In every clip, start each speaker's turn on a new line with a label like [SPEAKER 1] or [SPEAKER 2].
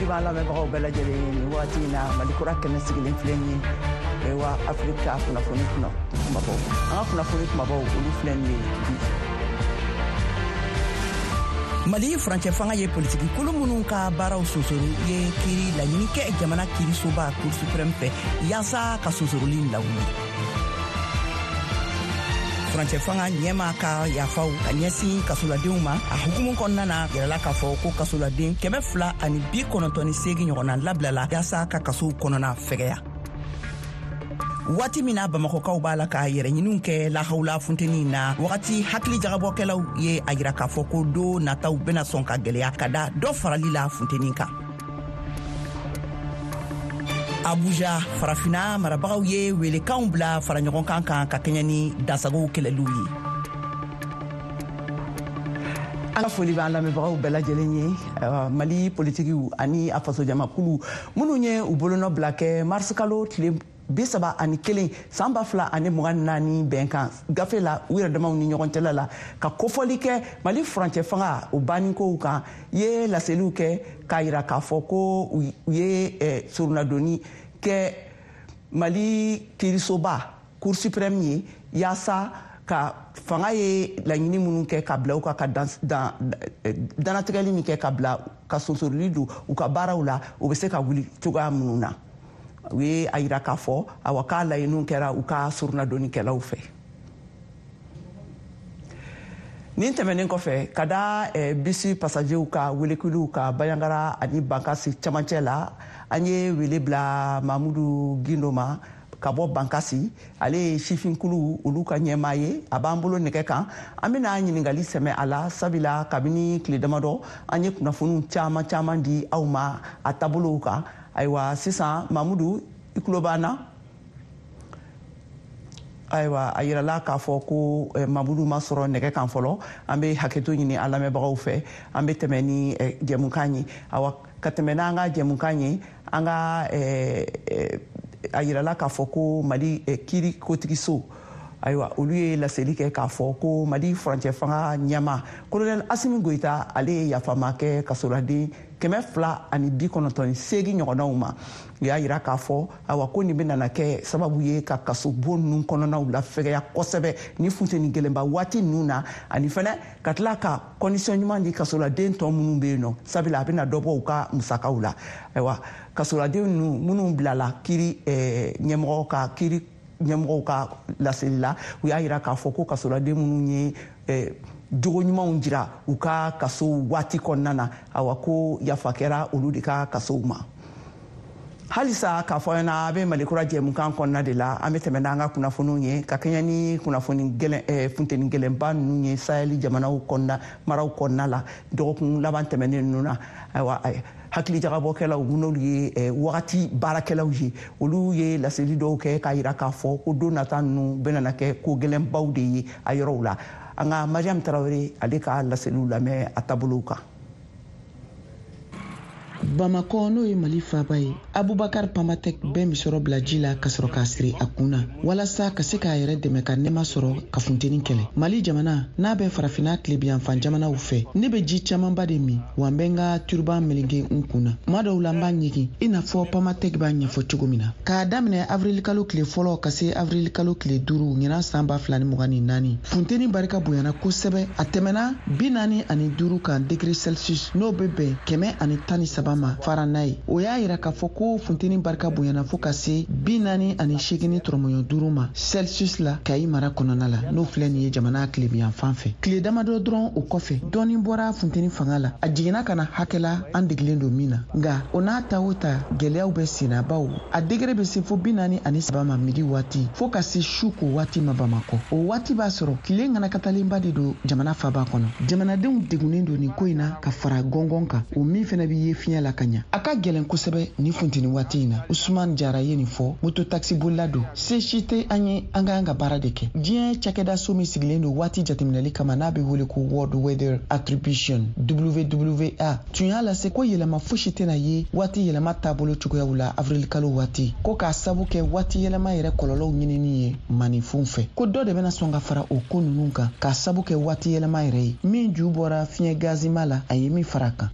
[SPEAKER 1] b'an lamɛnbagaw bɛɛ lajɛlen ye nin waati in na. Mali Kura kɛnɛ sigilen filɛ nin ye wa Afirika kunnafoni kumabaw, an ka kunnafoni kumabaw, olu filɛ nin ye bi.
[SPEAKER 2] Mali furancɛ fanga ye politiki kulu minnu ka baaraw sonsoro ye kiri laɲini kɛ jamana kirisoba Cour suprême fɛ yaasa ka sonsoroli lawuli. Furancɛ fanga ɲɛma ka yafaw ka ɲɛsin kasoladenw ma, a hukumu kɔnɔna na, yirala k'a fɔ ko kasoladen 298 ɲɔgɔnna labilala yaasa ka kasow kɔnɔna fɛgɛya. Waati min na Bamakɔkaw b'a la ka yɛrɛɲiniw kɛ lahawula funteni na, wagati hakili jagabɔkɛlaw ye a yira k'a fɔ ko don nataw bɛna sɔn ka gwɛlɛya ka da dɔ farali la funteni kan. Abuja, Farafina marabagaw ye welekanw bila fara ɲɔgɔn kan kan ka kɛɲɛ ni dansagow kɛlɛliw ye.
[SPEAKER 1] An ka foli b'an lamɛnbagaw bɛɛ lajɛlen ye. Mali politikiw ani a fasojamakulu minnu ye u bolonɔ bila kɛ marisikalo tile 31 san 2024 bɛnkan gafe la u yɛrɛ damaw ni ɲɔgɔn cɛla la, ka kofɔli kɛ Mali furancɛ fanga o bannikow kan, ye laseliw kɛ k'a yira k'a fɔ ko u ye soronnadonni kɛ Mali kiirisoba Cour suprême ye, yaasa ka fanga ye laɲini minnu kɛ ka bila u kan, ka danatigɛli min kɛ ka bila ka sonsoroli don u ka baaraw la, u bɛ se ka wuli cogoya minnu na. U ye a yira k'a fɔ, awa, k'a laɲiniw kɛra u ka soronnadonnikɛlaw fɛ. Nin tɛmɛnen kɔfɛ, ka da bisi passagerw ka welekuliw ka Banjagara ani Bankasi camancɛ la, an ye wele bila Mamudu Gindo ma ka bɔ Bankasi. Ale ye sifinkulu olu ka ɲɛmaa ye, a b'an bolo nɛgɛ kan. An bɛna ɲininkali sɛmɛ a la, sabula kabini tile damadɔ an ye kunnafoniw caman caman di aw ma a taabolow kan. Ayiwa, sisan, Mamudu, i tulo b'an na? Ayiwa, a yirala k'a fɔ ko Mamudu ma sɔrɔ nɛgɛ kan fɔlɔ. An bɛ hakɛto ɲini an lamɛnbagaw fɛ. An bɛ tɛmɛ ni jɛmukan ye. Awa, ka tɛmɛ n'an ka jɛmukan ye, an ka a yirala k'a fɔ ko Mali kiiri kotigiso, ayiwa, olu ye laseli kɛ k'a fɔ ko Mali furancɛ fanga ɲɛma Colonel Asimi Goyita, ale ye yafama kɛ kasoladen 298 ɲɔgɔnnaw ma. U y'a yira k'a fɔ, awa, ko nin bɛna kɛ sababu ye ka kasobon ninnu kɔnɔnaw lafɛgɛya kosɛbɛ ni funteni gɛlɛnba waati ninnu na, ani fɛnɛ ka tila ka condition ɲuman di kasoladen tɔ minnu bɛ yen nɔ, sabula a bɛna dɔ bɔ u ka musakaw la. Ayiwa, kasoladen ninnu minnu bilala kiiri ɲɛmɔgɔ ka kiiri ɲɛmɔgɔw ka laseli la, u y'a yira k'a fɔ ko kasoladen minnu ye jogo ɲumanw jira u ka kaso waati kɔnɔna na, awa, ko yafa kɛra olu de ka kasow ma. Halisa k'a fɔ ɲɛna, a bɛ Malikura jɛmukan kɔnɔna de la. An bɛ tɛmɛ n'an ka kunnafoniw ye ka kɛɲɛ ni kunnafoni gɛlɛn, funteni gɛlɛnba ninnu ye Sahɛli jamanaw kɔnɔna maraw kɔnɔna la dɔgɔkun laban tɛmɛnen ninnu na. Ayiwa, hakili jagabɔkɛlaw, n'olu ye wagati baarakɛlaw ye, olu ye laseli dɔw kɛ k'a yira k'a fɔ ko don nata ninnu bɛna kɛ ko gɛlɛnbaw de ye a yɔrɔw la. An ka Mariam Tarawele, ale ka laseliw lamɛn a taabolow kan.
[SPEAKER 3] Bamakɔ, n'o ye Mali faaba ye, Abubakar Pamatek bɛ misɔrɔ bila ji la ka sɔrɔ k'a siri a kun na walasa ka se k'a yɛrɛ dɛmɛ ka nɛma sɔrɔ ka funteni kɛlɛ. Mali jamana n'a bɛ Farafinna tilebiyanfan jamanaw fɛ, ne bɛ ji camanba de min, wa n bɛ n ka turban meleke n kun na. Tuma dɔw la, n b'a ɲigin i n'a fɔ Pamatek b'a ɲɛfɔ cogo min na. K'a daminɛ avirilikalo tile fɔlɔ ka se avirilikalo tile 5 ɲinan san 2024, funteni barika bonyana kosɛbɛ. A tɛmɛna 45 kan degré Celsius, n'o bɛ bɛn 113 ma Fahrenheit. O y'a yira k'a fɔ ko funteni barika bonyana fo ka se 48.5 ma Celsius la Kayi mara kɔnɔna la, n'o filɛ nin ye jamana tilebiyanfan fɛ. Tile damadɔ dɔrɔn o kɔfɛ, dɔɔni bɔra funteni fanga la, a jiginna ka na hakɛ la an degilen don min na. Nka o n'a ta o ta, gwɛlɛyaw bɛ senna, bawo a degré bɛ se fo 43 ma midi waati, fo ka se su ko waati ma Bamakɔ. O waati b'a sɔrɔ tile ŋanakatalenba de don jamana faba kɔnɔ. Jamanadenw degunnen don nin ko in na ka fara gɔngɔn kan, o min fɛnɛ bɛ ye fiɲɛ la ka ɲa. A ka gɛlɛn kosɛbɛ nin funteni waati in na. Usman Jara ye nin fɔ, moto taxi bolila don. Se si tɛ an ye, an ka kan ka baara de kɛ. Diɲɛ cakɛdaso min sigilen don waati jateminɛli kama, n'a bɛ wele ko World Weather Attribution, WWA, tun y'a lase ko yɛlɛma fosi tɛna ye waati yɛlɛma taabolo cogoyaw la avirilikalo waati, ko k'a sabu kɛ waati yɛlɛma yɛrɛ kɔlɔlɔw ɲinini ye maninfinw fɛ, ko dɔ de bɛna sɔn ka fara o ko ninnu kan k'a sabu kɛ waati yɛlɛma yɛrɛ ye min ju bɔra fiɲɛ gazima la, a ye min fara a kan.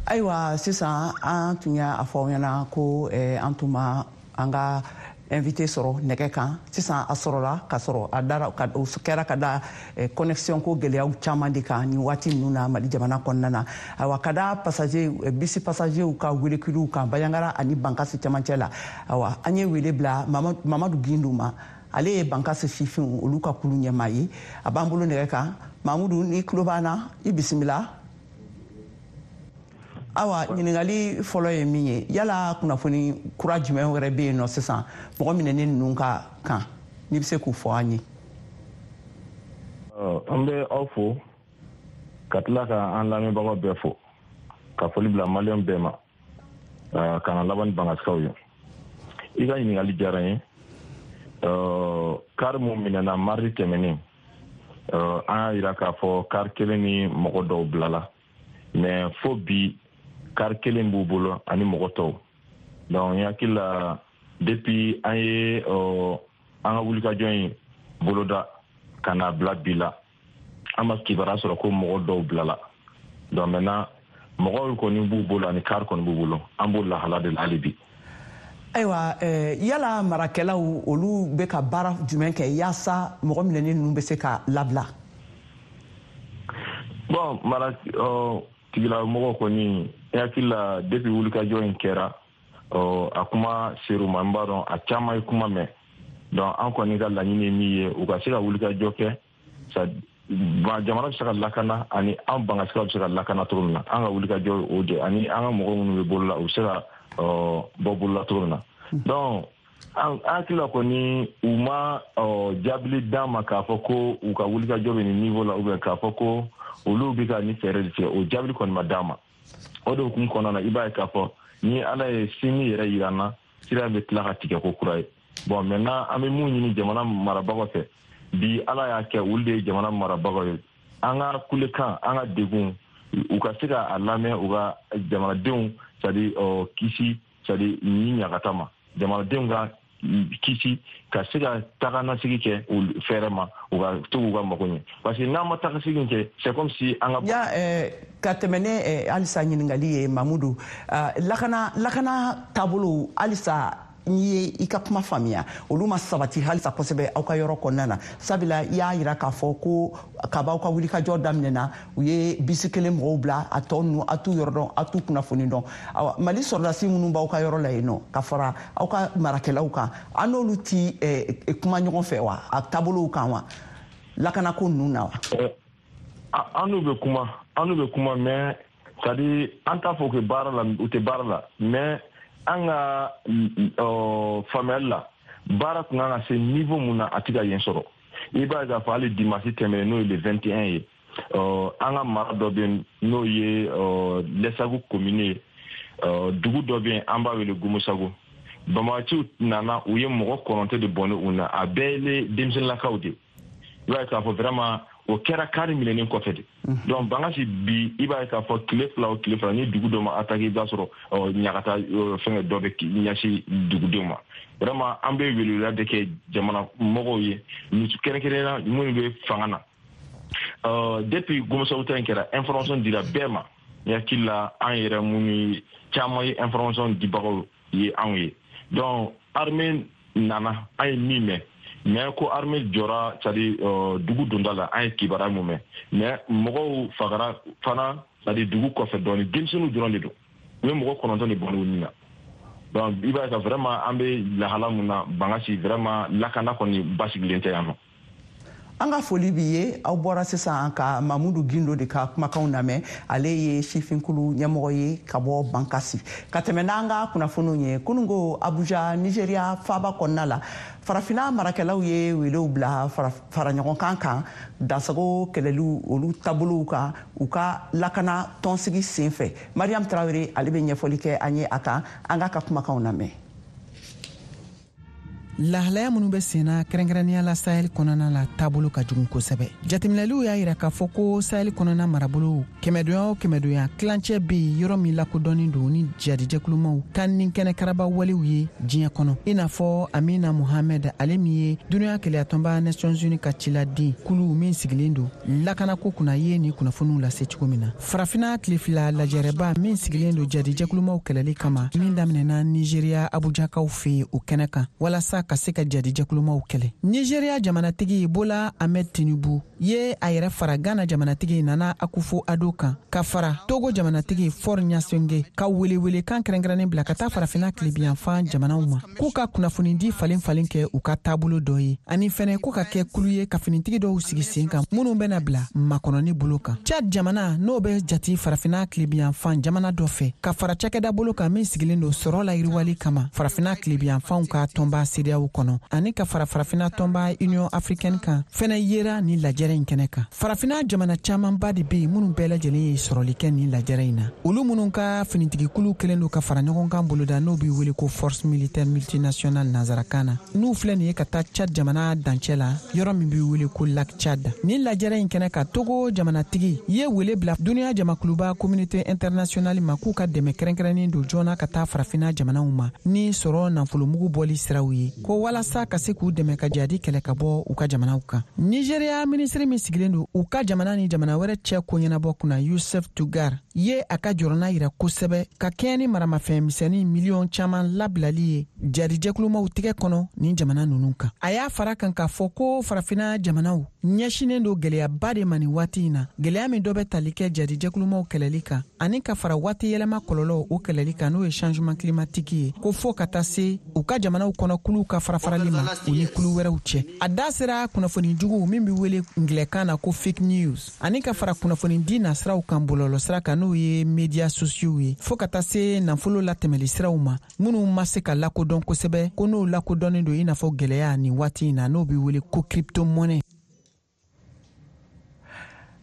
[SPEAKER 1] Ayiwa, sisan an tun y'a fɔ aw ɲɛna ko an tun ma an ka invité sɔrɔ nɛgɛ kan. Sisan a sɔrɔla ka sɔrɔ a dara o kɛra ka da connexion ko gɛlɛyaw caman de kan nin waati ninnu na Mali jamana kɔnɔna na. Ayiwa, ka da passager, bisi passagerw ka welekiliw kan Bandiagara ani Bankasi cɛmancɛ la, ayiwa, an ye wele bila Mamadu Gindo ma. Ale ye Bankasi sifinw olu ka kulu ɲɛmaa ye. A b'an bolo nɛgɛ kan. Mamudu, ni tulo b'an na, i bisimila. Awa, ɲininkali fɔlɔ ye min ye, yala kunnafoni kura jumɛn wɛrɛ bɛ yen nɔ sisan mɔgɔ minɛnen ninnu ka kan, n'i bɛ se k'u fɔ an ye?
[SPEAKER 4] An bɛ aw fo ka tila ka an lamɛnbagaw bɛɛ fo, ka foli bila Maliyɛn bɛɛ ma, ka na laban ni Bangasikaw ye. I ka ɲininkali diyara n ye. Kari mun minɛna mardi tɛmɛnen, an y'a yira k'a fɔ kari kelen ni mɔgɔ dɔw bilala, mais fo bi kari kelen b'u bolo ani mɔgɔ tɔw. Donc n hakili la, depuis an ye an ka wulikajɔ in boloda ka na bila bi la, an ma kibaruya sɔrɔ ko mɔgɔ dɔw bilala. Donc maintenant mɔgɔw kɔni b'u bolo ani kari kɔni b'u bolo, an b'o lahala de la hali bi.
[SPEAKER 1] Ayiwa, yala marakɛlaw olu bɛ ka baara jumɛn kɛ yaasa mɔgɔ minɛnen ninnu bɛ se ka labila?
[SPEAKER 4] Bon, mara tigilamɔgɔw kɔni, n hakili la, depuis wulikajɔ in kɛra, a kuma ser'u ma. N b'a dɔn a caman ye kuma mɛn. Donc an kɔni ka laɲini ye min ye, u ka se ka wulikajɔ kɛ, jamana bɛ se ka lakana ani an Bangasikaw bɛ se ka lakana cogo min na. An ka wulikajɔ o de, ani an ka mɔgɔ minnu bɛ bolo la, u bɛ se ka bɔ bolo la cogo min na. Donc an hakili la kɔni, u ma jaabili d'an ma k'a fɔ ko u ka wulikajɔ bɛ nin niveau la, ou bien k'a fɔ ko olu bɛ ka nin fɛɛrɛ de tigɛ. O jaabili kɔni ma d'an ma. O de hukumu kɔnɔna na, i b'a ye k'a fɔ ni Ala ye sini yɛrɛ yira an na, sira bɛ tila ka tigɛ ko kura ye. Bon, maintenant an bɛ mun ɲini jamana marabagaw fɛ bi? Ala y'a kɛ olu de ye jamana marabagaw ye. An ka kulekan, an ka degun, u ka se ka a lamɛn, u ka jamanadenw, c'est à dire kisi, c'est à dire ni ɲagata ma, jamanadenw ka kisi, ka se ka taganasigi kɛ u fɛɛrɛ ma, u ka to k'u ka mago ɲɛ, parce que n'an ma tagasegin kɛ, c'est comme si an ka
[SPEAKER 1] Ya ka tɛmɛ ne halisa ɲininkali ye, Mamudu, lakana taabolo halisa, n'i ye i ka kuma faamuya, olu ma sabati halisa kosɛbɛ aw ka yɔrɔ kɔnɔna na, sabula i y'a yira k'a fɔ ko kab'aw ka wulikajɔ daminɛna, u ye bisi kelen mɔgɔw bila, a tɔ ninnu a t'u yɔrɔ dɔn, a t'u kunnafoni dɔn. Awa, Mali sɔrɔdasi minnu b'aw ka yɔrɔ la yen nɔ ka fara aw ka marakɛlaw kan, an n'olu ti kuma ɲɔgɔn fɛ wa, a taabolow kan wa, lakanako ninnu na wa?
[SPEAKER 4] An n'u bɛ kuma, an n'u bɛ kuma, mais c'est à dire an t'a fɔ que baara la, u tɛ baara la, mais an ka faamuyali la, baara tun kan ka se niveau mun na, a ti ka yen sɔrɔ. I b'a ye k'a fɔ hali dimanche tɛmɛnen, n'o ye le 21 ye, an ka mara dɔ bɛ yen, n'o ye Lɛsagu commune ye, dugu dɔ bɛ yen, an b'a wele Gomosago. Banbagaciw nana, u ye mɔgɔ 9 de bɔnni u na, a bɛɛ ye denmisɛnninlakaw de. I b'a ye k'a fɔ vraiment o kɛra kari minɛnen kɔfɛ de. Donc Bangasi bi, i b'a ye k'a fɔ tile 2 o tile 2, ni dugu dɔ ma attaqué, i b'a sɔrɔ ɲagata fɛngɛ dɔ bɛ ɲɛsin dugudenw ma. Vraiment an bɛ weleweleda de kɛ jamana mɔgɔw ye, kɛrɛnkɛrɛnnenya minnu bɛ fanga na. Depuis Gomosagu ta in kɛra, information dira bɛɛ ma. N hakili la, an yɛrɛ minnu caman ye information dibagaw ye anw ye. Donc armée nana, an ye min mɛn, mais ko armée jɔra, c'est à dire dugu donda la, an ye kibaruya mun mɛn, mais mɔgɔw fagara fana, c'est à dire dugu kɔfɛ dɔɔni, denmisɛnninw dɔrɔn de don, u ye mɔgɔ 9 de bɔn u ni na. Donc i b'a ye ka vraiment an bɛ lahala mun na Bangasi, vraiment lakana kɔni basigilen tɛ yan nɔ.
[SPEAKER 1] An ka foli b'i ye. Aw bɔra sisan ka Mamudu Gindo de ka kumakanw lamɛn. Ale ye sifinkulu ɲɛmɔgɔ ye ka bɔ Bankasi. Ka tɛmɛ n'an ka kunnafoniw ye, kununko Abuja, Nigeria faaba kɔnɔna la, Farafinna marakɛlaw ye welew bila fara ɲɔgɔn kan kan dansago kɛlɛliw olu taabolow kan u ka lakana tɔnsigi sen fɛ. Mariam Tarawele, ale bɛ ɲɛfɔli kɛ an ye a kan. An k'a ka kumakanw lamɛn.
[SPEAKER 3] Lahalaya minnu bɛ senna kɛrɛnkɛrɛnnenya la Sahel kɔnɔna la, taabolo ka jugu kosɛbɛ. Jateminɛliw y'a yira k'a fɔ ko Sahel kɔnɔna marabolow kɛmɛdonya o kɛmɛdonya, tilancɛ bɛ yen yɔrɔ min lakodɔnnen don ni jadijɛkulumaw ka ni kɛnɛ karaba walew ye diɲɛ kɔnɔ, i n'a fɔ Amina Mohamed, ale min ye duniya kelenyatɔnba Nations Unies ka ciladen kulu min sigilen don lakanako kunna, ye nin kunnafoniw lase cogo min na. Farafina tile 2 lajɛrɛba min sigilen don jadijɛkulumaw kɛlɛli kama, min daminɛna Nigeriya Abujakaw fɛ yen, o kɛnɛ kan walasa ka se ka jadijɛkulumaw kɛlɛ, Nigeriya jamanatigi Bola Ahmed Tinubu ye a yɛrɛ fara Ghana jamanatigi Nana Akufo Ado kan, ka fara Togo jamanatigi Faure Gnassingbé, ka welewelekan kɛrɛnkɛrɛnnen bila ka taa Farafina tilebiyanfan jamanaw ma, k'u ka kunnafonidi falen falen kɛ u ka taabolo dɔ ye, ani fɛnɛ ko ka kɛ kulu ye ka finitigi dɔw sigi sen kan minnu bɛna bila makɔnɔni bolo kan. Chad jamana, n'o bɛ jati Farafina tilebiyanfan jamana dɔ fɛ, ka fara cakɛda bolo kan min sigilen don sɔrɔ la yiriwali kama Farafina tilebiyanfanw ka tɔnba CEDEAO kɔnɔ, ani ka fara Farafina tɔnba Union africaine kan, fɛnɛ yera nin lajɛrɛ in kɛnɛ kan. Farafina jamana camanba de be yen minnu bɛɛ lajɛlen ye sɔrɔli kɛ nin lajɛrɛ in na, olu minnu ka finitigikulu kelen don ka fara ɲɔgɔn kan boloda, n'o be wele ko Force militaire multinationale nanzarakan na, n'u filɛ nin ye ka taa Chad jamana dancɛ la, yɔrɔ min be wele ko Lac Chad. Nin lajɛrɛ in kɛnɛ kan, Togo jamanatigi ye wele bila duniya jamakuluba Communauté internationale ma, k'u ka dɛmɛ kɛrɛnkɛrɛnnen don joona ka taa Farafina jamanaw ma ni sɔrɔ nafolomugu bɔli siraw ye, ko walasa ka se k'u dɛmɛ ka jadi kɛlɛ ka bɔ u ka jamanaw kan. Nigeriya minisiri min sigilen don u ka jamana ni jamana wɛrɛ cɛ ko ɲɛnabɔ kunna, Yusuf Tugar, ye a ka jɔrɔna yira kosɛbɛ ka kɛɲɛ ni maramafɛn misɛnnin miliyɔn caman labilali ye jarijɛkulumaw tigɛ kɔnɔ nin jamana nunu kan. A y'a fara kan k'a fɔ ko Farafina jamanaw ɲɛsinen don gwɛlɛyaba de ma nin waati in na, gwɛlɛya min dɔ bɛ tali kɛ jarijɛkulumaw kɛlɛli kan, ani ka fara waati yɛlɛma kɔlɔlɔw o kɛlɛli kan, n'o ye changement climatique ye, ko fɔɔ ka taa se u ka jamanaw kɔnɔ kuluw ka farafarali ma u ni kulu wɛrɛw cɛ. A da sera kunnafoni jugu min be wele ngilɛkan na ko fake news, ani ka fara kunnafoni di nasiraw kan bɔlɔlɔ sira kan, n'o ye médias sociaux ye, fɔɔ ka taa se nafolo latɛmɛli siraw ma minnu ma se ka lakodɔn kosɛbɛ, ko n'o lakodɔnnen don i n'a fɔ gwɛlɛya nin waati in na, n'o be wele ko crypto-monnaie.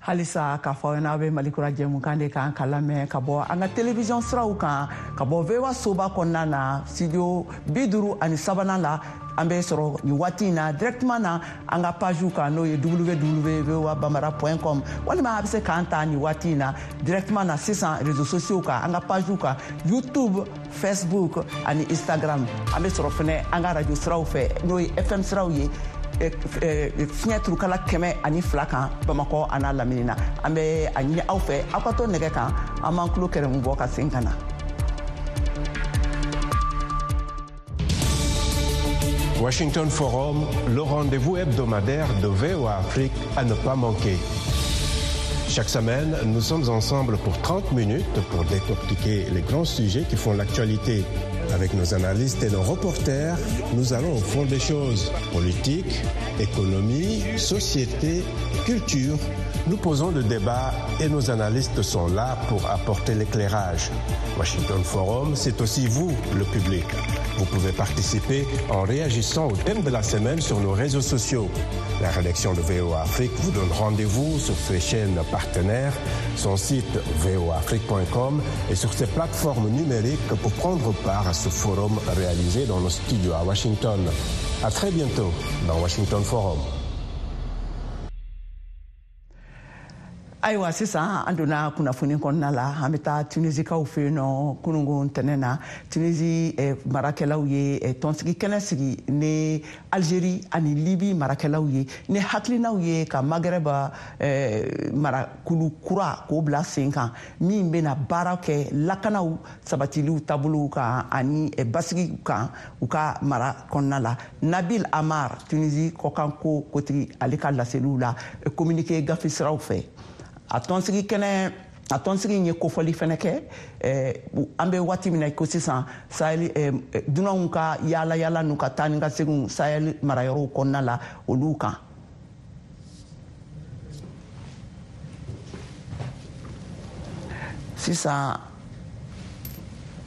[SPEAKER 1] Halisa k'a fɔ aw ɲɛna, aw bɛ Mali Kura jɛmukan de kan ka lamɛn ka bɔ an ka télévision siraw kan, ka bɔ VOA soba kɔnɔna na, studio 53nan la. An bɛ sɔrɔ nin waati in na directement na an ka page kan, n'o ye www.voabambara.com, walima a bɛ se k'an ta nin waati in na directement na sisan réseaux sociaux kan, an ka page kan, YouTube, Facebook ani Instagram. An bɛ sɔrɔ fɛnɛ an ka radio siraw fɛ, n'o ye FM siraw ye, fiɲɛ turukala 102 kan Bamakɔ a n'a lamini na. An bɛ a ɲini aw fɛ, aw ka to nɛgɛ kan, an b'an tulo kɛrɛmu bɔ ka sen ka na.
[SPEAKER 5] Washington Forum, le rendez-vous hebdomadaire de VOA Afrique à ne pas manquer. Chaque semaine, nous sommes ensemble pour 30 minutes pour décortiquer les grands sujets qui font l'actualité. Avec nos analystes et nos reporters, nous allons au fond des choses. Politique, économie, société, culture. Nous posons le débat et nos analystes sont là pour apporter l'éclairage. Washington Forum, c'est aussi vous, le public. Vous pouvez participer en réagissant au thème de la semaine sur nos réseaux sociaux. La rédaction de VOA Afrique vous donne rendez-vous sur ses chaînes partenaires, son site voaafrique.com et sur ses plateformes numériques pour prendre part à ce forum réalisé dans nos studios à Washington. À très bientôt dans Washington Forum.
[SPEAKER 1] Ayiwa, sisan an donna kunnafoni kɔnɔna la. An bɛ taa Tunisikaw fɛ yen nɔ. Kunungo ntɛnɛn na, Tunisi marakɛlaw ye tɔnsigi kɛnɛ sigi ni Algérie ani Libi marakɛlaw ye, ni hakilinaw ye ka Maghreb marakulu kura k'o bila sen kan, min bɛna baara kɛ lakanaw sabatiliw taabolow kan ani basigi kan u ka mara kɔnɔna la. Nabil Amar, Tunisi kɔkanko kotigi, ale ka laseliw la communiqué gafe siraw fɛ, a tɔnsigi kɛnɛ, a tɔnsigi in ye kofɔli fɛnɛ kɛ. An bɛ waati min na ko sisan, Sahel dunanw ka yaala yaala n'u ka taa ni ka seginw Sahel marayɔrɔw kɔnɔna la, olu kan. Sisan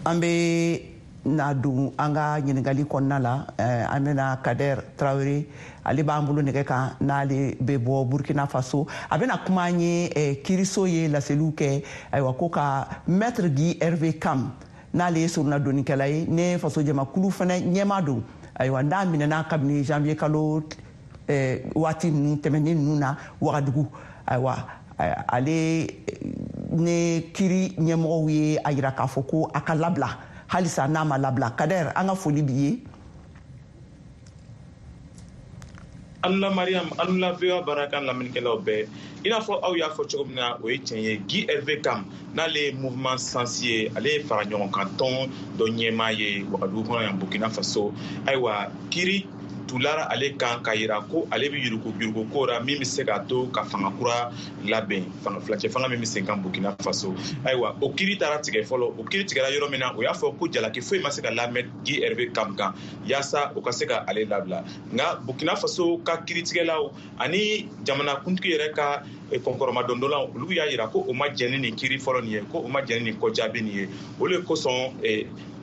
[SPEAKER 1] an bɛ na don an ka ɲininkali kɔnɔna la. An bɛna Kader Traoré, ale b'an bolo nɛgɛ kan, n'ale bɛ bɔ Burkina Faso. A bɛna kuma an ye kiiriso ye laseliw kɛ, ayiwa, ko ka Maître Guy Hervé Kam, n'ale ye soronadonnikɛla ye, ne faso jamakulu fana ɲɛmaa don. Ayiwa, n'a minɛna kabini janvier kalo waati ninnu tɛmɛnen ninnu na Wagadugu. Ayiwa, ale ne kiri ɲɛmɔgɔw ye a yira k'a fɔ ko a ka labila, halisa n'a ma labila. Kader, an ka foli b'i ye.
[SPEAKER 6] Anula Mariam, anula VOA baarakan lamɛnnikɛlaw bɛɛ. I n'a fɔ aw y'a fɔ cogo min na, o ye tiɲɛ ye. Guy Hervé Kam, n'ale ye mouvement Sens ye, ale ye fara ɲɔgɔn kan tɔn dɔ ɲɛmaa ye Wagadugu kɔnɔ yan, Burkina Faso. Ayiwa, kiri tulara ale kan k'a yira ko ale bɛ yurugu ko la min bɛ se k'a to ka fanga kura labɛn, fanga filacɛ fanga min bɛ sen kan Burkina Faso. Ayiwa, o kiri taara tigɛ fɔlɔ. O kiri tigɛra yɔrɔ min na, o y'a fɔ ko jalaki foyi ma se ka lamɛn Guy Hervé Kam kan yaasa o ka se ka ale labila. Nka Burkina Faso ka kiritigɛlaw ani jamanakuntigi yɛrɛ ka kɔnkɔrɔmadondɔlaw, olu y'a yira ko o ma jɛn ni nin kiri fɔlɔ nin ye, ko o ma jɛn ni nin kɔjaabi nin ye. O le kosɔn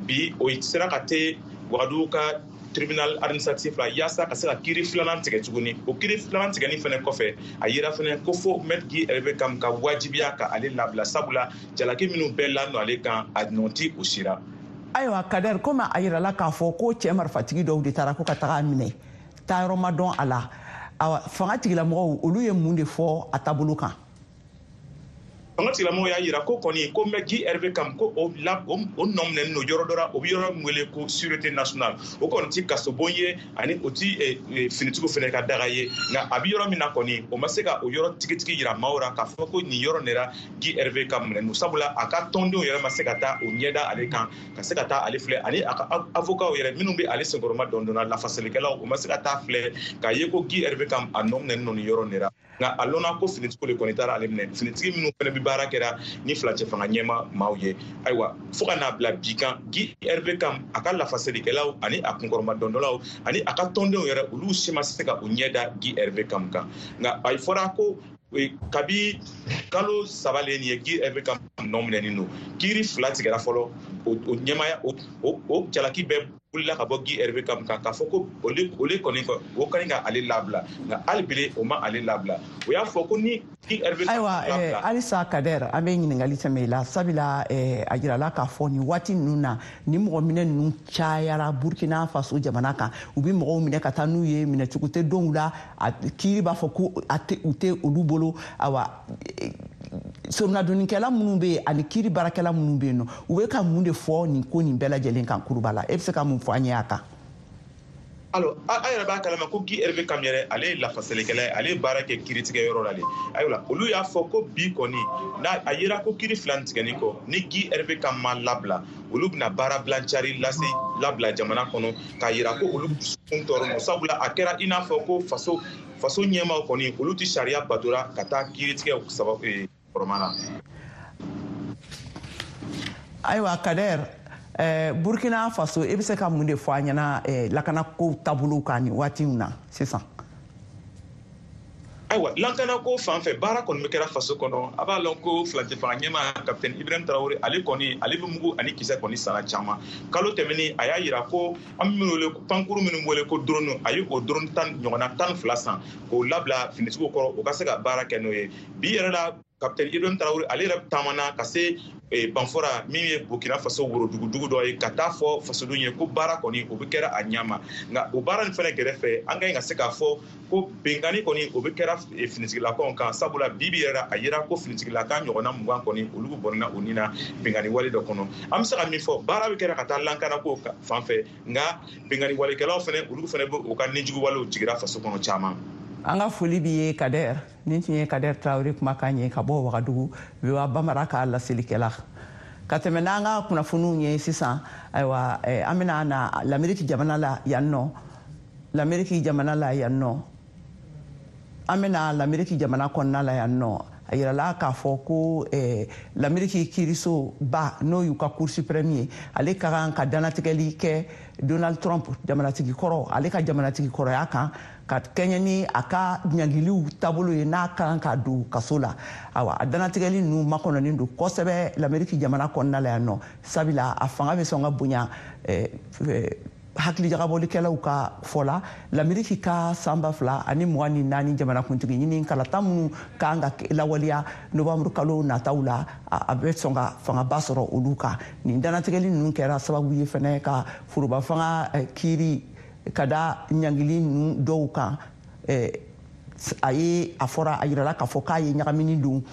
[SPEAKER 6] bi o sera ka te Wagadugu ka tribunal administratif la yaasa ka se ka kiri filanan tigɛ tuguni. O kiri filanan tigɛni fɛnɛ kɔfɛ, a yira fɛnɛ ko fo maître Guy Hervé Kam ka wajibiya ka ale labila, sabula jalaki minnu bɛɛ ladon ale kan, a nɔ ti o sira.
[SPEAKER 1] Ayiwa Kader, komi a yirala k'a fɔ ko cɛ marifatigi dɔw de taara ko ka taga a minɛ, taayɔrɔ ma dɔn a la, awa, fanga tigilamɔgɔw olu ye mun de fɔ a taabolo kan?
[SPEAKER 6] Fanga tigilamɔgɔw y'a yira ko kɔni ko maître Guy Hervé Kam ko o nɔ minɛnen don yɔrɔ dɔ la, o bɛ yɔrɔ min wele ko sûreté nationale. O kɔni ti kasobon ye, ani o ti finitigiw fɛnɛ ka daga ye. Nka a bɛ yɔrɔ min na kɔni, o ma se ka o yɔrɔ tigitigi yira maaw la k'a fɔ ko nin yɔrɔ nin la Guy Hervé Kam minɛnen don, sabula a ka tɔndenw yɛrɛ ma se ka taa o ɲɛda ale kan, ka se ka taa ale filɛ, ani a ka avocat yɛrɛ minnu bɛ ale senkɔrɔma dɔndɔnna, lafasalikɛlaw, o ma se ka taa filɛ k'a ye ko Guy Hervé Kam a nɔ minɛnen don nin yɔrɔ nin la. Nka a lɔnna ko finitigiw de kɔni taara ale minɛ, finitigi minnu fana bɛ baara kɛra ni filacɛ fanga ɲɛma maaw ye. Ayiwa, fo ka n'a bila bi kan, Guy Hervé Kam a ka lafasalikɛlaw ani a kunkɔrɔma dɔndɔlaw ani a ka tɔndenw yɛrɛ, olu si ma se ka u ɲɛ da Guy Hervé Kam kan. Nka a fɔra ko kabi kalo 3 le nin ye Guy Hervé Kam nɔ minɛnen don. Kiiri 2 tigɛra fɔlɔ, o ɲɛmaya o jalaki bɛɛ wulila ka bɔ Guy Hervé Kam kan k'a fɔ ko ole kɔni o ka ɲi ka ale labila, nka hali bi o ma ale labila. O y'a fɔ ko ni Guy Hervé.
[SPEAKER 1] Ayiwa halisa Kader, an bɛ ɲininkali tɛmɛ i la, sabula a jirala k'a fɔ nin waati ninnu na, ni mɔgɔ minɛ ninnu cayara Burkina Faso jamana kan. U bɛ mɔgɔw minɛ ka taa n'u ye, minɛcogo tɛ dɔw la, kiiri b'a fɔ ko u tɛ olu bolo. Ayiwa, soronadonnikɛla minnu bɛ yen ani kiiri baarakɛla minnu bɛ yen nɔ, u bɛ ka mun de fɔ nin ko nin bɛɛ lajɛlen kan kuruba la? E bɛ se ka mun fɔ an ye a kan?
[SPEAKER 6] Alors, a yɛrɛ b'a kalama ko Guy Hervé Kam yɛrɛ, ale ye lafasalikɛla ye, ale ye baara kɛ kiiritigɛ yɔrɔ la de. Ayiwa, olu y'a fɔ ko bi kɔni n'a a yera ko kiiri 2 tigɛni kɔ, ni Guy Hervé Kam ma labila, olu bɛna baara bilancari lase labila jamana kɔnɔ k'a yira ko olu dusukun tɔɔrɔ don, sabula a kɛra i n'a fɔ ko faso ɲɛmaaw kɔni olu tɛ sariya batora ka taa kiiritigɛ sababu kɔrɔma na.
[SPEAKER 1] Ayiwa Kader, Burkina Faso, e bɛ se ka mun de fɔ an ɲɛna lakanako taabolow kan nin waati in na sisan?
[SPEAKER 6] Ayiwa, lakanako fan fɛ, baara kɔni bɛ kɛra faso kɔnɔ. A b'a lɔn ko filacɛ fanga ɲɛmaa capitaine Ibrahim Traoré, ale kɔni ale bɛ mugu ani kisɛ kɔni sara caman. Kalo tɛmɛnen, a y'a yira ko an bɛ minnu wele ko pankuru minnu wele ko drone, a ye o drone 10 ɲɔgɔnna 12 san k'o labila finitigiw kɔrɔ, o ka se ka baara kɛ n'o ye. Bi yɛrɛ la, capitaine Ibrahim Traoré ale yɛrɛ taamana ka se Banfora min ye Burkina Faso worodugudugu dɔ ye, ka taa fɔ fasodenw ye ko baara kɔni o bɛ kɛra a ɲɛ ma. Nka o baara nin fɛnɛ gɛrɛfɛ, an ka ɲi ka se k'a fɔ ko binkanni kɔni o bɛ kɛra finitigilakaw kan, sabula bi bi yɛrɛ a yira ko finitigilaka ɲɔgɔnna 20 kɔni olu bɔnna u ni na binkanni wale dɔ kɔnɔ. An bɛ se ka min fɔ, baara bɛ kɛra ka taa lankanako fan fɛ, nka binkanni walekɛlaw fɛnɛ olu fɛnɛ bɛ u ka nijugu walew jigira faso kɔnɔ caman.
[SPEAKER 1] An ka foli b'i ye Kader. Nin tun ye Kader Traoré kumakan ye ka bɔ Wagadugu, VOA Bambara ka laselikɛla. Ka tɛmɛ n'an ka kunnafoniw ye sisan, ayiwa, an bɛna na Lameriki jamana la yan nɔ. Lameriki jamana la yan nɔ, an bɛna Lameriki jamana kɔnɔna la yan nɔ. A yirala k'a fɔ ko Lameriki kiirisoba, n'o y'u ka Cour suprême ye, ale ka kan ka dannatigɛli kɛ Donald Trump jamanatigi kɔrɔ, ale ka jamanatigi kɔrɔya kan, ka kɛɲɛ ni a ka ɲangiliw taabolo ye n'a ka kan ka don kaso la. Awa, a dannatigɛli ninnu makɔnɔnen don kosɛbɛ Lameriki jamana kɔnɔna la yan nɔ, sabula a fanga bɛ sɔn ka bonya hakilijagabɔlikɛlaw ka fɔ la. Lameriki ka san 2024 jamanakuntigi ɲini kalata minnu kan ka lawaleya novembre kalo nataw la, a bɛ sɔn ka fangaba sɔrɔ olu kan. Nin dannatigɛli ninnu kɛra sababu ye fɛnɛ ka foroba fanga kiiri Ka da ɲangili ninnu dɔw kan, a ye a fɔra, a yirala k'a fɔ k'a ye ɲagamini don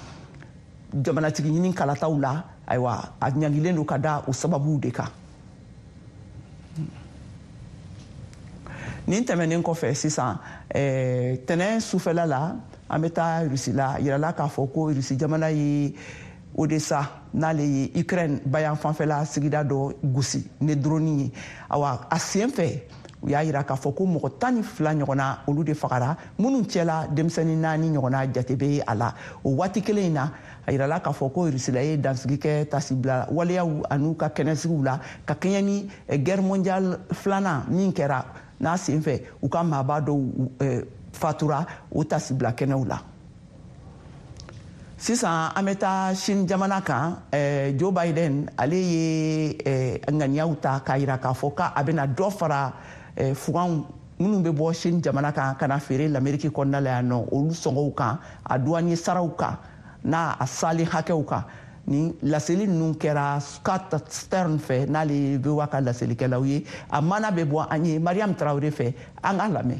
[SPEAKER 1] jamanatigi ɲini kalataw la. Ayiwa, a ɲangilen don ka da o sababuw de kan. Nin tɛmɛnen kɔfɛ, sisan tɛnɛn sufɛla la, an bɛ taa Rusi la. Yirala k'a fɔ ko Rusi jamana ye Odessa, n'ale ye Ukraine bayan fanfɛla sigida dɔ, gosi ni drone ye. Awa, a sen fɛ, u y'a yira k'a fɔ ko mɔgɔ 12 ɲɔgɔnna, olu de fagara, minnu cɛla denmisɛnnin naani ɲɔgɔnna jate bɛ a la. O waati kelen in na, a yirala k'a fɔ ko Rusila ye dansigi kɛ tasibila waleyaw an'u ka kɛnɛsigiw la, ka kɛɲɛ ni guerre mondiale filanan min kɛra, n'a sen fɛ u ka maaba dɔw fatura o tasibila kɛnɛw la. Sisan an bɛ taa Sini jamana kan. Joe Biden, ale ye ŋaniyaw ta k'a yira k'a fɔ k'a bɛna dɔ fara fuganw minnu bɛ bɔ Sini jamana kan ka na feere Lameriki kɔnɔna la yan nɔ, olu sɔngɔw kan, a douanier saraw kan, n'a a salen hakɛw kan. Ni laseli ninnu kɛra Scott Stern fɛ, n'ale ye VOA ka laselikɛlaw ye. A mana bɛ bɔ an ye Mariam Tarawele fɛ, an k'a lamɛn.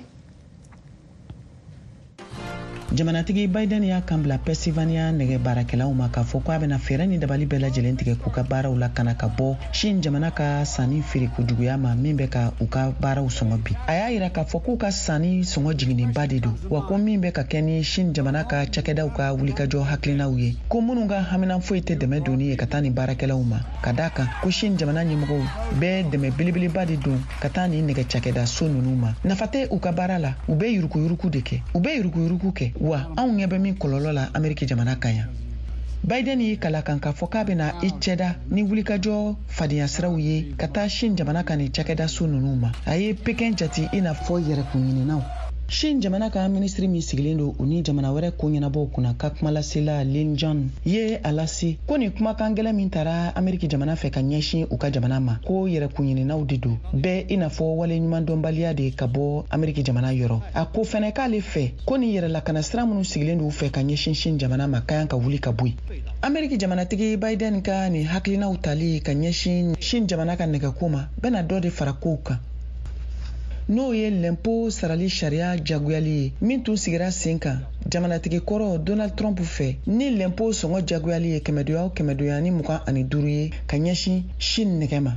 [SPEAKER 3] Jamanatigi Biden y'a kan bila Pennsylvania nɛgɛ baarakɛlaw ma k'a fɔ ko a bɛna fɛɛrɛ ni dabali bɛɛ lajɛlen tigɛ k'u ka baaraw lakana ka bɔ Chine jamana ka sanni feere kojuguya ma, min bɛ ka u ka baaraw sɔngɔ bi. A y'a yira k'a fɔ k'u ka sanni sɔngɔ jiginnenba de don, wa ko min bɛ ka kɛ ni Chine jamana ka cakɛdaw ka wulikajɔ hakilinaw ye, ko minnu ka hamina foyi tɛ dɛmɛ donni ye ka taa nin baarakɛlaw ma, ka daa kan ko Chine jamana ɲɛmɔgɔw bɛ dɛmɛ belebeleba de don ka taa nin nɛgɛ cakɛda so ninnu ma. Nafa tɛ u ka baara la, u bɛ yurukuyuruku de kɛ, u bɛ yurukuyuruku kɛ. Wa anw ɲɛ bɛ min kɔlɔlɔ la Ameriki jamana kan yan. Biden y'i kala kan k'a fɔ k'a bɛna i cɛda ni wulikajɔ fadenya siraw ye ka taa Chine jamana kan nin cakɛda so ninnu ma. A ye Pekin jati i n'a fɔ yɛrɛkunɲininaw. Chine jamana ka minisiri min sigilen don u ni jamana wɛrɛ ko ɲɛnabɔw kunna ka kumalasela Lin Jian ye a lase ko nin kumakan gɛlɛn min tara Ameriki jamana fɛ ka ɲɛsin u ka jamana ma, ko yɛrɛkunɲininaw de don bɛɛ, i n'a fɔ wale ɲumandɔnbaliya de ka bɔ Ameriki jamana yɔrɔ. A ko fɛnɛ k'ale fɛ ko nin yɛrɛlakana sira minnu sigilen don u fɛ ka ɲɛsin Chine jamana ma ka kan ka wuli ka bɔ yen. Ameriki jamanatigi Biden ka nin hakilinaw tali ka ɲɛsin Chine jamana ka nɛgɛko ma bɛna dɔ de fara kow kan, n'o ye lɛnpo sarali sariya jagoyali ye min tun sigira sen kan jamanatigi kɔrɔ Donald Trump fɛ, ni lɛnpo sɔngɔ jagoyali ye kɛmɛdoya o kɛmɛdoya ni 25 ye ka ɲɛsin Chine nɛgɛ ma.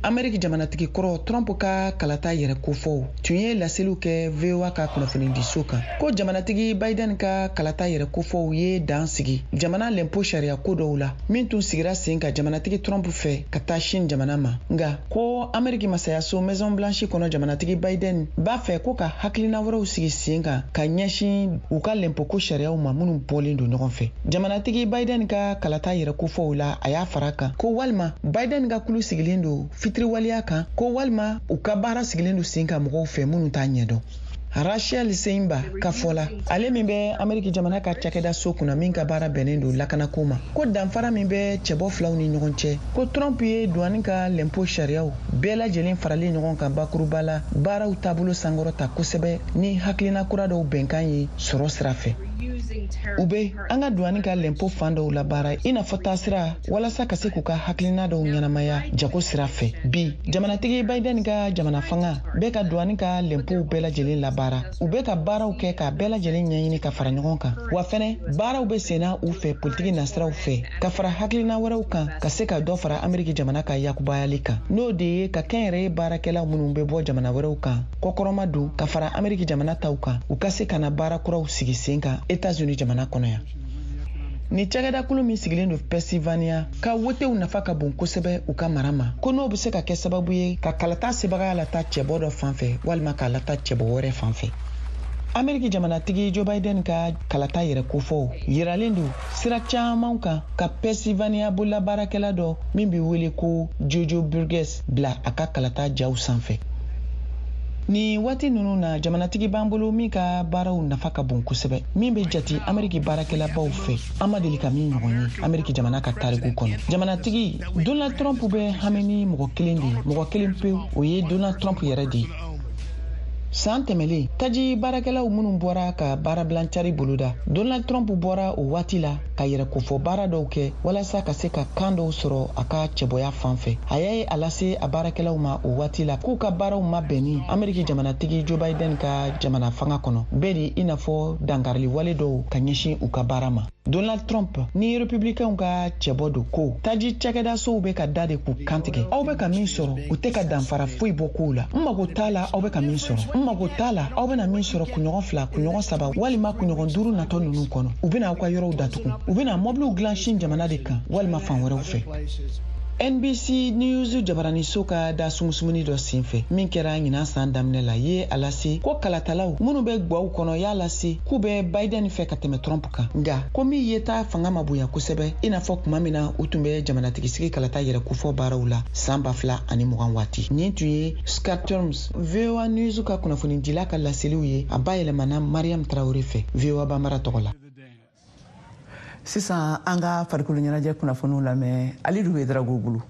[SPEAKER 3] Ameriki jamanatigi kɔrɔ Trump ka kalata yɛrɛ kofɔw tun ye laseliw kɛ VOA ka kunnafonidiso kan ko jamanatigi Biden ka kalata yɛrɛ kofɔw ye dan sigi jamana lɛnpo sariya ko dɔw la min tun sigira sen kan jamanatigi Trump fɛ ka taa Chine jamana ma. Nga ko Ameriki masayaso Maison Blanche kɔnɔ, jamanatigi Biden b'a fɛ ko ka hakilina wɛrɛw sigi sen kan ka ɲɛsin u ka lɛnpoko sariyaw ma minnu bɔlen don ɲɔgɔn fɛ. Jamanatigi Biden ka kalata yɛrɛ kofɔw la, a y'a fara kan ko walima Biden ka kulu sigilen don fitiriwaleya kan, ko walima u ka baara sigilen don sen kan mɔgɔw fɛ minnu t'a ɲɛdɔn. Rachel Seinba ka fɔ la, ale min bɛ Ameriki jamana ka cakɛda so kunna min ka baara bɛnnen don lakanako ma, ko danfara min bɛ cɛbɔ filaw ni ɲɔgɔn cɛ, ko Trump ye duwani ka lɛnpo sariyaw bɛɛ lajɛlen faralen ɲɔgɔn kan bakuruba la baaraw taabolo sankɔrɔta kosɛbɛ ni hakilina kura dɔw bɛnkan ye sɔrɔ sira fɛ. U bɛ an ka duwani ka lɛnpo fan dɔw labaara i n'a fɔ taasira walasa ka se k'u ka hakilina dɔw ɲɛnamaya jago sira fɛ. Bi, jamanatigi Biden ka jamana fanga bɛ ka duwani ka lɛnpow bɛɛ lajɛlen labaara. U bɛ ka baaraw kɛ k'a bɛɛ lajɛlen ɲɛɲini ka fara ɲɔgɔn kan, wa fɛnɛ baaraw bɛ senna u fɛ politiki nasiraw fɛ ka fara hakilina wɛrɛw kan ka se ka dɔ fara Ameriki jamana ka yakubayali kan, n'o de ye ka kɛnyɛrɛye baarakɛlaw minnu bɛ bɔ jamana wɛrɛw kan kɔkɔrɔma don ka fara Ameriki jamana taw kan, u ka se ka na baara kuraw sigi sen kan Etats-Unis jamana kɔnɔ yan. Ni cakɛdakulu min sigilen don Pennsylvania ka wotew nafa ka bon kosɛbɛ u ka mara ma, ko n'o bɛ se ka kɛ sababu ye ka kalata sebagaya lata cɛbɔ dɔ fan fɛ walima k'a lata cɛbɔ wɛrɛ fan fɛ. Ameriki jamanatigi Joe Biden ka kalata yɛrɛ kofɔw yiralen don sira caman kan ka Pennsylvania bololabaarakɛla dɔ min bɛ wele ko Jojo Burgess bila a ka kalata jaw sanfɛ. Nin waati ninnu na, jamanatigi b'an bolo min ka baaraw nafa ka bon kosɛbɛ, min bɛ jati Ameriki baarakɛlabaw fɛ, an ma deli ka min ɲɔgɔn ye Ameriki jamana ka tariku kɔnɔ. Jamanatigi Donald Trump bɛ hami ni mɔgɔ kelen de ye, mɔgɔ kelen pewu, o ye Donald Trump yɛrɛ de ye. San tɛmɛlen, taji baarakɛlaw minnu bɔra ka baarabilancari boloda, Donald Trump bɔra o waati la ka yɛrɛkofɔ baara dɔw kɛ walasa ka se ka kan dɔw sɔrɔ a ka cɛbɔya fan fɛ. A y'a a lase a baarakɛlaw ma o waati la k'u ka baaraw mabɛnni Ameriki jamanatigi Joe Biden ka jamana fanga kɔnɔ bɛɛ de i n'a fɔ dankarili wale dɔw ka ɲɛsin u ka baara ma. Donald Trump ni Republicainw ka cɛbɔ don ko taji cakɛdasow bɛ ka da de k'u kantigɛ. Aw bɛ ka min sɔrɔ, u tɛ ka danfara foyi bɔ kow la. N mago t'a la aw bɛ ka min sɔrɔ. N mago t'a la aw bɛna min sɔrɔ kunɲɔgɔn 2, kunɲɔgɔn 3 walima kunɲɔgɔn 5 natɔ ninnu kɔnɔ. U bɛna aw ka yɔrɔw datugu. U bɛna mɔbiliw dilan Chine jamana de kan walima fan wɛrɛw fɛ. NBC News jabaraniso ka da sumusumuni dɔ senfɛ min kɛra ɲinan san daminɛ la ye a lase ko kalatalaw minnu bɛ gwaw kɔnɔ y'a lase k'u bɛ Biden fɛ ka tɛmɛ Trump kan, nka ko min yeta fanga ma bonya kosɛbɛ i n'a fɔ tuma min na u tun bɛ jamanatigisigi kalata yɛrɛ kofɔ baaraw la san 2020 waati. Nin tun ye Scott Terms, VOA News ka kunnafonidila ka laseliw ye, a bayɛlɛmana Mariam Traoré fɛ VOA Bambara tɔgɔ la.
[SPEAKER 1] Sisan an ka farikolo ɲɛnajɛ kunnafoniw lamɛn Alidu Ouédraogo bolo.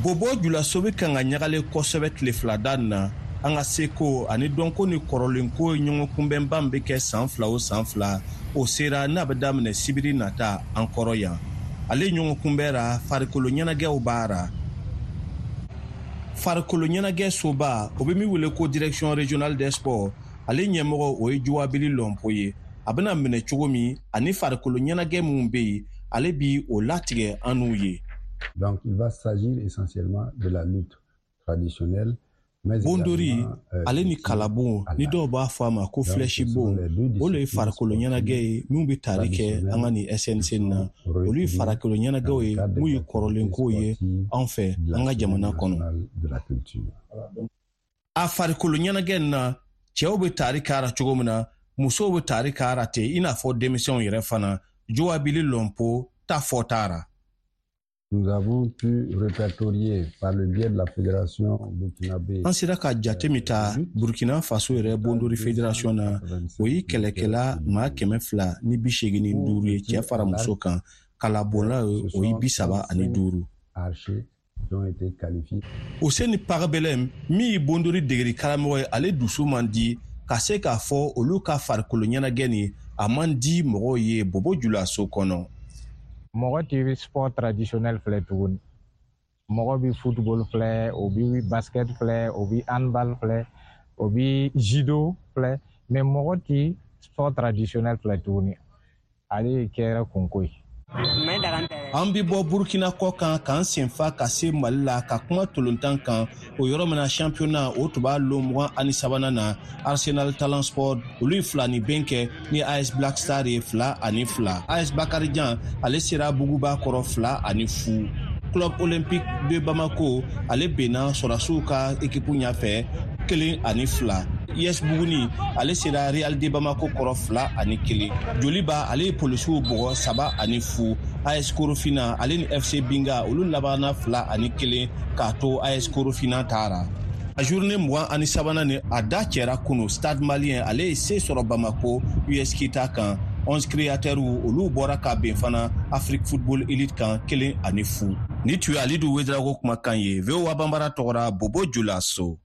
[SPEAKER 7] Bobo Julaso bɛ kan ka ɲagalen kosɛbɛ tile fila da na. An ka seko ani dɔnko ni kɔrɔlenko ɲɔgɔn kunbɛnba min bɛ kɛ san 2 o san 2, o sera n'a bɛ daminɛ sibiri nata an kɔrɔ yan. Ale ɲɔgɔn kunbɛra farikolo ɲɛnajɛw baara. Farikolo ɲɛnajɛ soba, o bɛ min wele ko direction régionale des sports, ale ɲɛmɔgɔ o ye Juwabili Lɔnpo ye. A bɛna minɛ cogo min ani farikolo ɲɛnajɛ minnu bɛ yen, ale bi o latigɛ an n'u ye.
[SPEAKER 8] Donc il va s'agir essentiellement de la lutte traditionnelle.
[SPEAKER 7] Bondori ale ni kalabon ni dɔw b'a fɔ a ma ko flèche bon, o le ye farikolo ɲɛnajɛ ye minnu bɛ tali kɛ an ka nin SNC na. Olu ye farikolo ɲɛnajɛw ye minnu ye kɔrɔlenkow ye anw fɛ an ka jamana kɔnɔ. A farikolo ɲɛnajɛ in na, cɛw bɛ tari k'a la cogo min na, musow bɛ tari k'a la ten i n'a fɔ denmisɛnw yɛrɛ fana. Joabili Lɔnpo ta fɔ taara.
[SPEAKER 8] Nous avons pu répertorier par le biais de la fédération burkinabé.
[SPEAKER 7] An sera ka jate min ta Burkina Faso yɛrɛ bondori fédération na, o ye kɛlɛkɛla maa 285 ye cɛ fara muso kan, kalabonla o ye 35. Useni Pagbelem min ye bondori degeli karamɔgɔ ye, ale dusu man di ka se k'a fɔ olu ka farikolo ɲɛnajɛ nin a man di mɔgɔw ye Bobo Julaso kɔnɔ.
[SPEAKER 9] Mɔgɔ tɛ sport traditionnel filɛ tuguni. Mɔgɔ bɛ football filɛ, o bɛ basket filɛ, o bɛ handball filɛ, o bɛ judo filɛ, mais mɔgɔ tɛ sport traditionnel filɛ tuguni. Ale kɛra kunko ye.
[SPEAKER 7] An bɛ bɔ Burkina kɔ kan k'an senfa ka se Mali la ka kuma tolontan kan. O yɔrɔ min na championnat o tun b'a lon 23nan na, Arsenal Talent Sport olu ye 2 ni ben kɛ ni AS Black Star ye 2-2. AS Bakarijan ale sera Buguba kɔrɔ 2-0. Club Olympique de Bamako ale benna sɔrɔdasiw ka équipe ɲɛfɛ 1-2. US Buguni ale sera Real de Bamako kɔrɔ 2-1. Joliba ale ye polisiw bugɔ 3-0. AS Korofina ale ni FC Binga olu labanna 2-1 k'a to AS Korofina taara. A journée 23nan ni a da cɛra kunu, Stade Malien ale ye se sɔrɔ Bamako US Kita kan. 11 créateurs olu bɔra ka ben fana Afrique Football Elite kan 1-0. Ni tun ye Alidu Ouédraogo kumakan ye VOA Bambara tɔgɔra Bobo Julaso.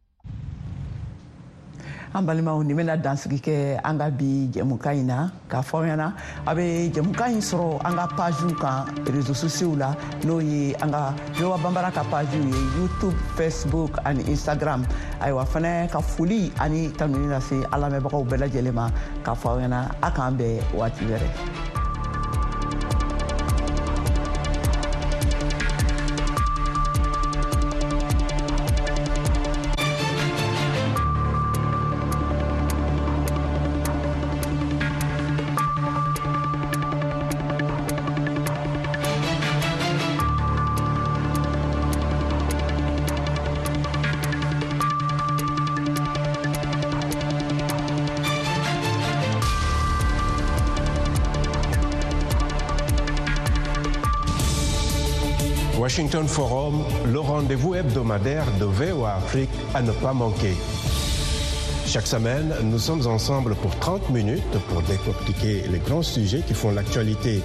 [SPEAKER 1] An balimaw, nin bɛna dansigi kɛ an ka bi jɛmukan in na. K'a fɔ aw ɲɛna, a bɛ jɛmukan in sɔrɔ an ka pagew kan réseaux sociaux la, n'o ye an ka VOA Bambara ka pagew ye YouTube, Facebook ani Instagram. Ayiwa fana ka foli ani tanuni lase an lamɛnbagaw bɛɛ lajɛlen ma, k'a fɔ aw ɲɛna a k'an bɛn waati wɛrɛ.
[SPEAKER 5] Washington Forum, le rendez-vous hebdomadaire de VOA Afrique à ne pas manquer. Chaque semaine, nous sommes ensemble pour 30 minutes pour décortiquer les grands sujets qui font l'actualité.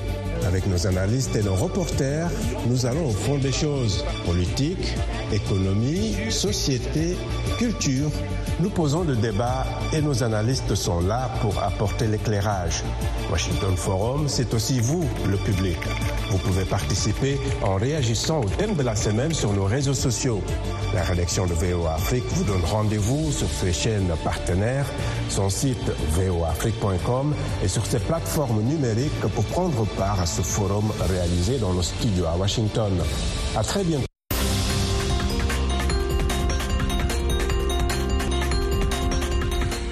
[SPEAKER 5] Avec nos analystes et nos reporters, nous allons au fond des choses. Politique, économie, société, culture. Nous posons le débat et nos analystes sont là pour apporter l'éclairage. Washington Forum, c'est aussi vous, le public. Vous pouvez participer en réagissant au thème de la semaine sur nos réseaux sociaux. La rédaction de VOA Afrique vous donne rendez-vous sur ses chaînes partenaires, son site voaafrique.com et sur ses plateformes numériques pour prendre part à ce forum réalisé dans nos studios à Washington. À très bientôt.